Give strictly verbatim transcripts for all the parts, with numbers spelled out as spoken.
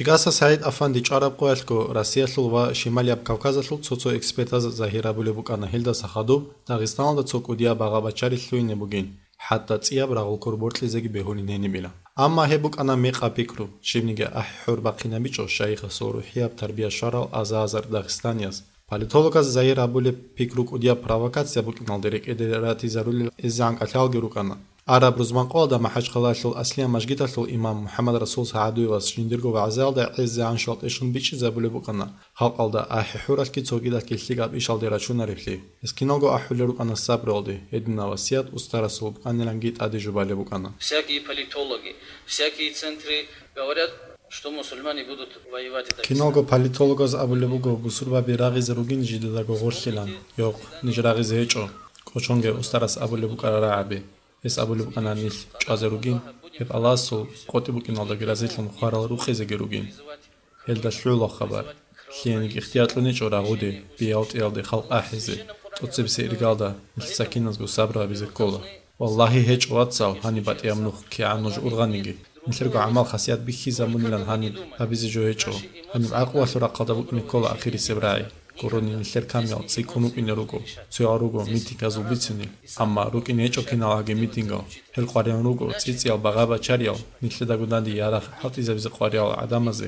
ЧӀикӀаса СагӀид-афанди чӀвараб къоялъго Россиялъул ва Шималияб Кавказалъул цо-цо экспертаз загьир абулеб букӀана гьелдаса хадуб Дагъистаналда цо кӀудияб багъа-бачари лъугьине бугин, хӀатта цӀияб рагъулкур бокьизеги бегьулин гьенибила. Амма гьеб букӀана мекъаб пикру, щибниги ахӀи-хӀур бахъинабичӀо шайихасул рухӀияб тарбия щварал аза-азар дагъистанияз. Политологаз загьир гьабулеб пикру кӀудияб провокация букӀиналде рекӀеде ратизарулел эзегӀан кӀалъалги рукӀана. Араб рузманкъоялда МахӀачхъалаялъул Аслия мажгиталъул имам МухӀаммад-Расул СагӀадуевас жиндирго вагӀзаялда гӀезегӀан щвалъ тӀехьун бичӀчӀизабулеб букӀана, халкъалда ахӀи-хӀуралъги цогидалъги лъикӀаб ишалде рачунареблъи. Гьез киналго ахӀулел рукӀана сабруялде, гьединаб васият устарасул букӀаниланги тӀаде жубалеб букӀана. Всякие политологи, всякие центры говорят, что мусульмане будут воевать и так. Киналго политологаз абулеб буго, бусурбаби рагъизе ругин жидедаго гъорлъилан. Йохъ, ниж рагъизе гьечӀо, кӀочонге устарас абулеб букӀараб рагӀаби. Гьес абулеб букӀана нилъ чӀвазе ругин, гьеб Аллагьасул къотӀи букӀиналдаги разилъун хварал рукъизеги ругин. Гьелда лъугӀула хабар. Лъиениги ихтияр кьуничӀо рагъуде, биялтӀиялде халкъ ахӀизе, тӀоцебесеб иргалда нилъеца киназго сабру гьабизе ккола. Валлагьи, гьечӀо, вацал, гьаниб батӀияб нух кигӀан нуж ургъаниги. Нилъерго гӀамал-хасият бихьизабунилан гьаниб гьабизе жо гьечӀо. Гьаниб гӀакълуялъул рахъалда букӀине ккола ахирисеб рагӀи. Гурони нилъер камиял цӀикӀкӀун рукӀине руго, цоял руго митинг гьазул бицинел, амма рукӀине гьечӀо киналгӀаги митингал. Гьел къваригӀун руго цӀицӀиял багъа-бачариял, нилъедаго данде ярагъ хӀалтӀизабизе къваригӀал гӀадамазе.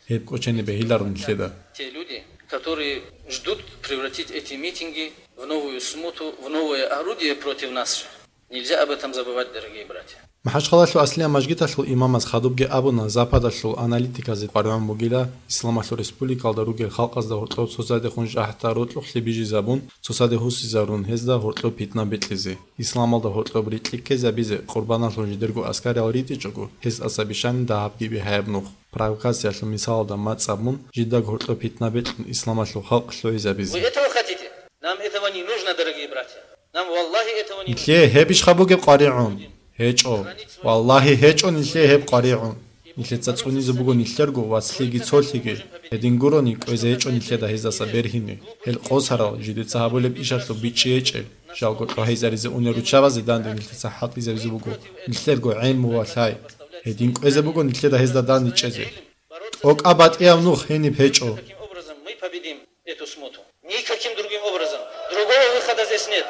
Гьеб кӀочене бегьиларо нилъеда. Те люди, которые ждут превратить эти митинги в новую смуту, в новое орудие против нас же. Нельзя об этом забывать, дорогие братья. МахӀачхъалалъул Аслия мажгиталъул имамас хадубги абуна, Западалъул аналитиказе къваригӀун бугила, Исламалъул республикалда ругел халкъазда гьоркьоб цоцадехун жагьта рокьулъе бижизабун, цоцаде гьусизарун гьезда гьоркьоб питна бекьизе. Исламалда гьоркьоб рикьи ккезабизе къурбаналъун жидерго аскариял ритӀичӀого, гьез тӀаса бищани дагьабги бигьаяб нух, провокациялъул мисалалда мацӀ абун, жидаго гьоркьоб питна бекьун исламалъул халкъ лъугӀизабизе. Вы этого хотите? Нам этого не нужно, дорогие братья. Нам, валлахи, этого не нужно. Нилъее гьебищха бугеб къваригӀун? ГьечӀо. Валлагьи, гьечӀо нилъее гьеб къваригӀун. Нилъеца цӀунизе буго нилъерго вацлъиги цолъиги. Гьедин гурони, кӀвезе гьечӀо нилъеда гьездаса бергьине. Гьел къосарал, жидеца гьабулеб ишалъул бичӀчӀи гьечӀел, жалго лъугьайзаризе унел руччабазе данде нилъеца хӀалтӀизабизе буго нилъерго гӀелму ва лъай. Гьедин кӀвезе буго нилъеда гьезда данде чӀезе. ТӀокӀаб батӀияб нух гьениб гьечӀо. Эту смуту. Никаким другим образом. Другого выхода здесь нет.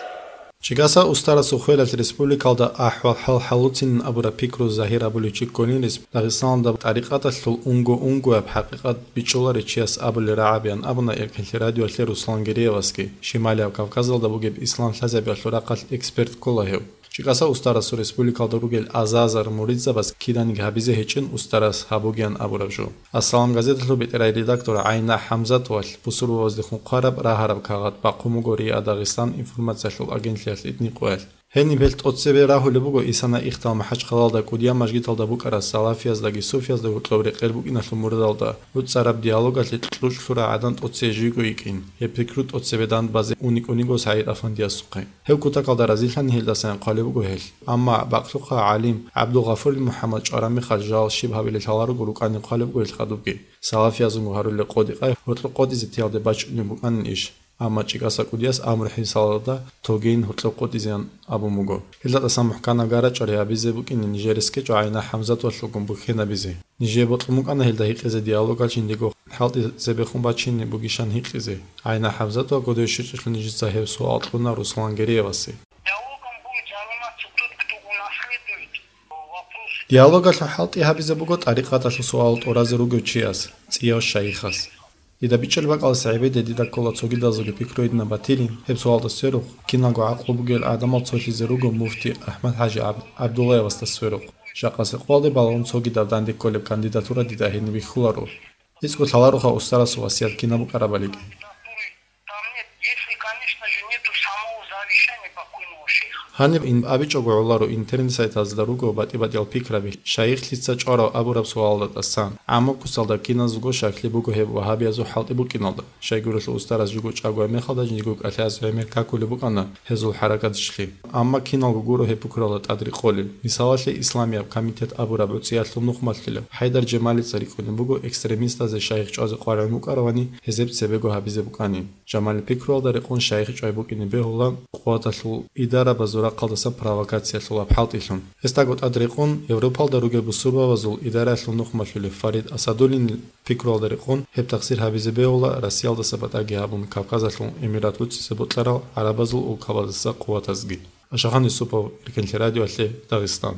ЧӀикӀаса устарасул хвелалъ республикалда ахӀвал-хӀал хӀалуцин абураб пикру загьир абулев чи кколин рес-, Дагъистаналда тӀарикъаталъул унго-унгояб хӀакъикъат бичӀчӀуларев чияс абулел рагӀабиян абуна Эркенлъи радиоялъе Руслан Гереевасги, Шималияб Кавказалда бугеб ислам лъазабиялъул рахъалъ эксперт ккола гьев. ЧӀикӀаса устарасул республикалда ругел азазар муридзабаз киданиги гьабизе гьечӀин устарас гьабугеян абураб жо. Ассалам газеталъул бетӀерай редактор ГӀайна ХӀамзатовалъ бусурбабаздехун хъвараб рагьараб кагъат бахъун буго РИА Дагъистан информациялъул агентлъиялъ итни къоялъ. Гьениб гьел тӀоцебе рагьулеб буго Исана ихтал МахӀачхъалалда кӀудияб мажгиталда букӀарас салафияздаги суфиязда гьоркьоб рекъел букӀиналъул мурадалда, гӀуцӀараб диалогалъе кьучӀлъурал гӀадан тӀоцее жиго йикӀин, гьеб пикру тӀоцебе дандбазе уникӀун йиго СагӀид-афандиясухъе. Гьев кутакалда разилъани гьелдасайин хъвалеб буго гьел. Амма бакълъухъа гӀалим ГӀабдулгъафурил МухӀаммад чӀвараб мехалъ жал щиб гьабилел лъаларого рукӀанин хъвалеб буго гьел хадубги. Салафиязунго гьарулел къотӀи-къай гьоркьоб къотӀизе тиялде бачӀунеб букӀанин иш. Амма ЧӀикӀаса кӀудияс амру-хӀисалалда тогейин гьоркьоб къотӀизеян абун буго. Гьелда тӀасан мухӀканаб гарачӀварай гьабизе букӀине нижер рес ккечӀо ГӀайна ХӀамзатовалъулгун бухьенабизе. Нижее бокьун букӀана гьелда гьикъизе диалогалъ жиндего хӀалтӀи цебехун бачине бугищан гьикъизе. ГӀайна ХӀамзатова кодове щвечӀелъул нижеца гьеб суал кьуна Руслан Гереевасе. Диалогом будет заниматься тот, кто унаследует вопросы. Диалогалъул хӀалтӀи гьабизе буго тӀарикъаталъул суал тӀуразе ругев чияс, цӀияв шайихас. Дида бичӀчӀулеб бакӀалдаса гӀебеде дида ккола цогидазулги пикру гьединаб батилин, гьеб суалда сверухъ, киналго гӀакълу бугел гӀадамал цолъизе руго муфти АхӀмад-хӀажи ГӀаб-, ГӀабдуллаевасда сверухъ. Жакъасеб къоялде балагьун цогидаб данде кколеб кандидатура дида гьениб бихьуларо. ГьечӀо лъалароха устарасул васият кинаб букӀарабалиги. Там нет, если, конечно же, нету самого завещания покойного шейха. Гьаниб ин абичӀого гӀоларо интернет-сайтазда руго батӀи-батӀиял пикраби, шайихлъица чӀварав абураб суалда тӀасан. ГӀаммакусалда киназулго щаклъи буго гьеб вагьабиязул хӀалтӀи букӀиналда. Щайгурелъул устарас жуго чӀагояб мехалда жиндирго кӀалъазе гӀемер какулеб букӀана гьезул хӀаракатишлъи. Амма киналго гуро гьеб пикралда тӀад рекъолел. Мисалалъе, Исламияб комитет абураб гӀуцӀиялъул нухмалъилав ХӀайдар Жемалица рикӀкӀунеб буго экстремистазе шайих чӀвазе къваригӀун букӀаравани гьезеб цебего гьабизе букӀанин. Жамалил пикруялда рекъон шайих чӀвай букӀине бегьула къуваталъ идарабазул рахъалдаса провокациялъулаб хӀалтӀилъун. Гьесдаго тӀад рекъон, Европалда ругел бусурбабазул идараялъул нухмалъулев Фарид Асадуллинил пикруялда рекъон, гьеб тахсир гьабизе бегьула Россиялдаса батӀаги гьабун Кавказалъул эмират буцӀизе бокьарал гӀарабазул улкабаздаса къуватазги. Ашахан Юсупов, Эркенлъи радиоялъе, Дагъистан.